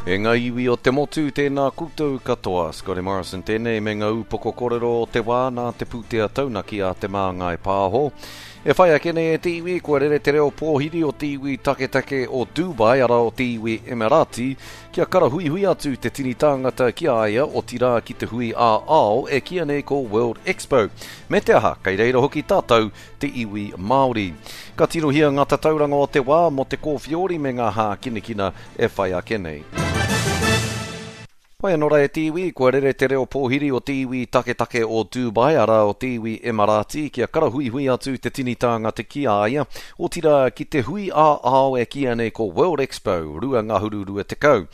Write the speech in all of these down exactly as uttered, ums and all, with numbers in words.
E ngā iwi o te motu, tēnā koutou katoa. Scotty Morrison tēnei me ngā upoko kōrero o te wā nā te pūtea taunaki a Te Māngai Pāho. E whai ake nei e te iwi, kua rere te reo pōhiri o te iwi taketake o Dubai, arā o te iwi Emirati, kia karahuihui atu te tini tāngata ki a ia, otirā ki te hui ā-ao e kīia nei ko World Expo. Me te aha, kei reira hoki tātou, te iwi Māori. Ka tirohia ngā tatauranga o te wā mō te kōwhiori me ngā hākinakina e whai ake nei. Whai anō rā e te iwi, kua rere te reo pōhiri o te iwi taketake o Dubai, arā o te iwi Emirati, kia karahuihui atu te tini tāngata ki a ia, otirā ki te hui ā-ao e kīia nei ko World Expo rua ngahuru rua tekau.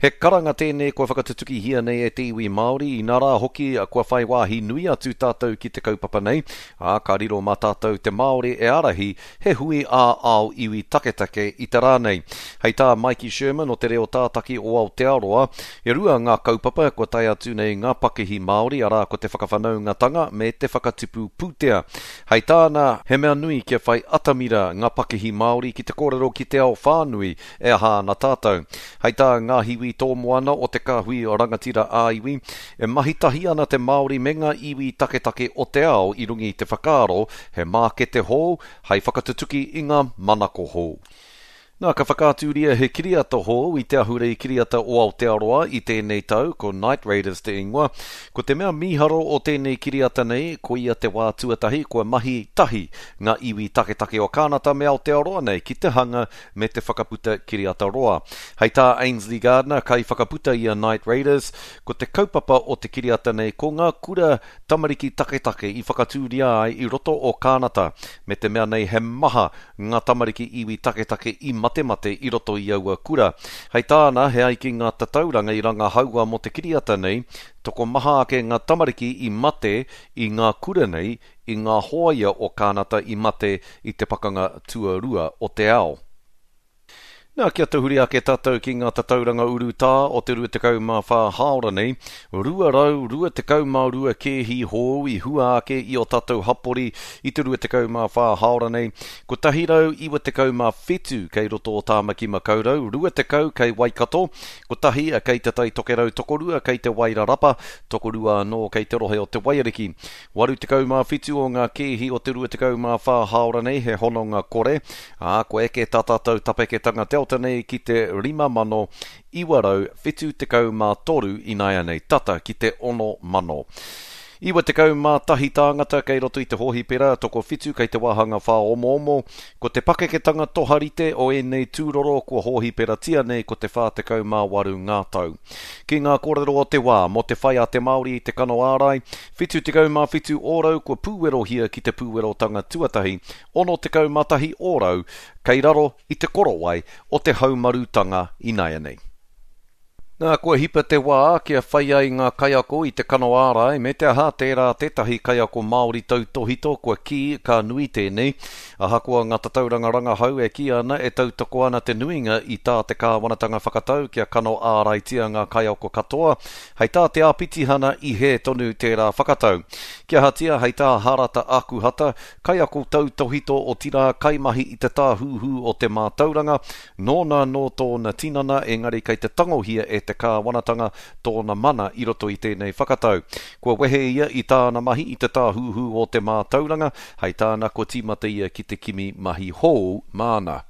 He karanga tēnei kua whakatutukihia nei e te iwi Māori, inā rā hoki kua whai wāhi nui atu tātou ki te kaupapa nei, ā, ka riro mā tātou te Māori e ārahi he hui ā-ao iwi taketake i te rā nei. Hei tā Maiki Sherman o Te Reo Tātaki o Aotearoa, e rua ngā kaupapa kua tae atu nei ngā pakihi Māori, arā ko te whakawhanaungatanga me te whakatipu pūtea. Hei tāna, he mea nui kia whai atamira ngā pakihi Māori ki te kōrero ki te ao whānui e aha ana tātou. Hei tā Ngāhiwi Tōmoana o te Kāhui Rangatira ā-Iwi, e mahi tahi ana te Māori me ngā iwi taketake o te ao i runga i te whakaaro he mākete hou hei whakatutuki i ngā manako hou. Nā, ka whakaaturia he kiriata hou i te ahurei kiriata o Aotearoa i tēnei tau, ko Night Raiders te ingoa. Ko te mea mīharo o tēnei kiriata nei, koia te wā tuatahi kua mahi tahi ngā iwi taketake o Kānata me Aotearoa nei ki te hanga me te whakaputa kiriata roa. Hei tā Ainsley Gardner, kaiwhakaputa i a Night Raiders, ko te kaupapa o te kiriata nei ko ngā kura tamariki taketake i whakatūria ai i roto o Kānata, me te mea nei he maha ngā tamariki iwi taketake i matemate i roto i aua kura. Hei tāna, he ai ki ngā tatauranga i rangahaua mō te kiriata nei, tokomaha ake ngā tamariki i mate i ngā kura nei i ngā hōia o Kānata i mate i te pakanga tuarua o te ao. Nā, kia tahuri ake tātou ki ngā tatauranga urutā o te rua tekau mā whā hāora nei, rua rau rua tekau mā rua kēhi hou i hua ake i o tātou hapori i te rua tekau mā whā hāora nei, kotahi rau iwa tekau mā whitu kei roto o Tāmaki Makaurau, rua tekau kei Waikato, kotahi kei Te Tai Tokerau, tokorua kei Te Wairarapa, tokorua anō kei te rohe o Te Waiariki. Waru tekau mā whitu o ngā kēhi o te rua tekau mā whā hāora nei he hononga kore, ā, kua eke tā tātou tapeketanga delta nei ki te rima mano iwa rau whitu tekau mā toru ināianei, tata ki te ono mano. Iwa tekau mā tahi tāngata kei roto i te hōhipera, tokowhitu kei te wāhanga whāomoomo. Ko te pakeketanga toharite o ēnei tūroro kua hōhiperatia nei ko te whā tekau mā waru ngā tau. Ki ngā kōrero o te wā, mō te whai a te Māori i te kano ārai, whitu tekau mā whitu ōrau kua pūwerohia ki te pūwerotanga tuatahi, ono tekau mā tahi ōrau kei raro i te korowai o te haumarutanga ināianei. Nā, kua hipa te wā kia whai ai ngā kaiako i te kano ārai, me te aha tērā tētahi kaiako Māori tautōhito kua kī ka nui tēnei. Ahakoa ngā tatauranga rangahau e kī ana e tautoko ana te nuinga i tā te kāwanatanga whakatau kia kano āraitia ngā kaiako katoa, hei tā te āpitihana i hē tonu tērā whakatau. Kia ahatia, hei tā Harata Akuhata, kaiako tautōhito otirā kaimahi i te tāhuhu o te mātauranga, nōna nō tōna tinana, engari kei te tangohia e te kāwanatanga tōna mana i roto i tēnei whakatau. Kua wehe ia i tāna mahi i te tāhuhu o te mātauranga, hei tāna kua tīmata ia ki te kimi mahi hou māna.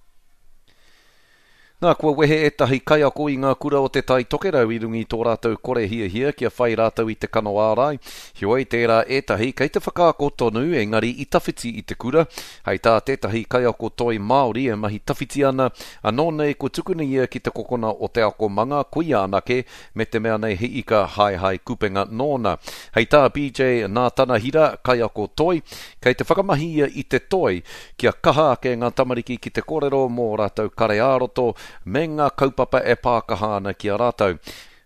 Nā, kua wehe ētahi kaiako i ngā kura o Te Tai Tokerau i runga i tō rātou kore hiahia kia whai rātou i te kano ārai. Heoi, tērā ētahi kei te whakaako tonu, engari i tawhiti i te kura. Hei tā tētahi kaiako toi Māori e mahi tawhiti ana, anō nei kua tukuna ia ki te kokona o te akomanga, koia anake, me te mea nei he ika haehae kupenga nōna. Hei tā B J Nātanahira, kaiako toi, kei te whakamahi ia i te toi kia kaha ake ngā tamariki ki te kōrero mō rātou kare ā-roto me ngā kaupapa e pākaha ana ki a rātou.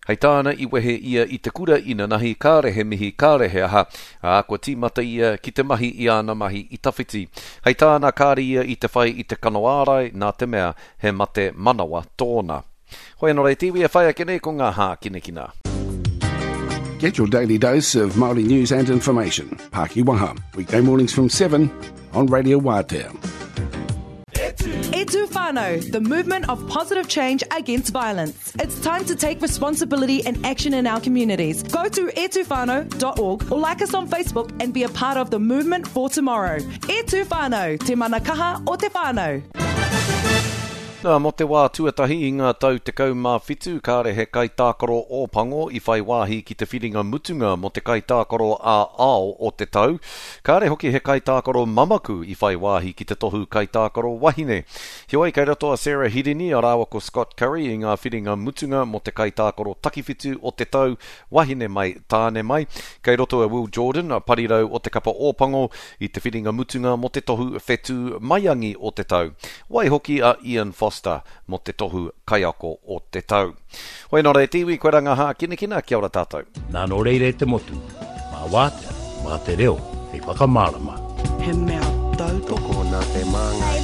Hei tāna i wehe ia i te kura inanahi, kāre he mihi, kāre he aha, ā, kua tīmata ia ki te mahi i āna mahi i tawhiti. Hei tāna kāre ia i te whai i te kano ārai, nā te mea he mate manawa tōna. Hoi anō rei te iwi e whai ake nei ko ngā hākinakina. Get your daily dose of Māori news and information. Pākiwaha, weekday mornings from seven on Radio Wātea. E tū whānau. Whānau, the movement of positive change against violence. It's time to take responsibility and action in our communities. Go to e tu whānau dot org or like us on Facebook and be a part of the movement for tomorrow. E Tu Whānau, te mana kaha o te whānau. Nā, mō te wā tuatahi i ngā tau tekau mā whitu, kāre he kaitākaro Ōpango i whai wāhi ki te whiringa mutunga mō te kaitākaro ā-ao o te tau. Kāre hoki he kaitākaro mamaku i whai wāhi ki te tohu kaitākaro wahine. Heoi, kei roto a Sarah Hirini a rāua ko Scott Curry i ngā whiringa mutunga mō te kaitākaro takiwhitu o te tau, wahine mai, tāne mai. Kei roto a Will Jordan, a parirau o te kapa Ōpango, i te whiringa mutunga mō te tohu whetū maiangi o te tau. Waihoki a Ian Foster mō te tohu kaiako o te tau. Hoi nō re te iwi, koe ranga hākinakina, kia ora tātou. Nā nō reira e te motu, mā wātea, mā te reo, hei whakamārama. He mea tautoko Tokona te māngai.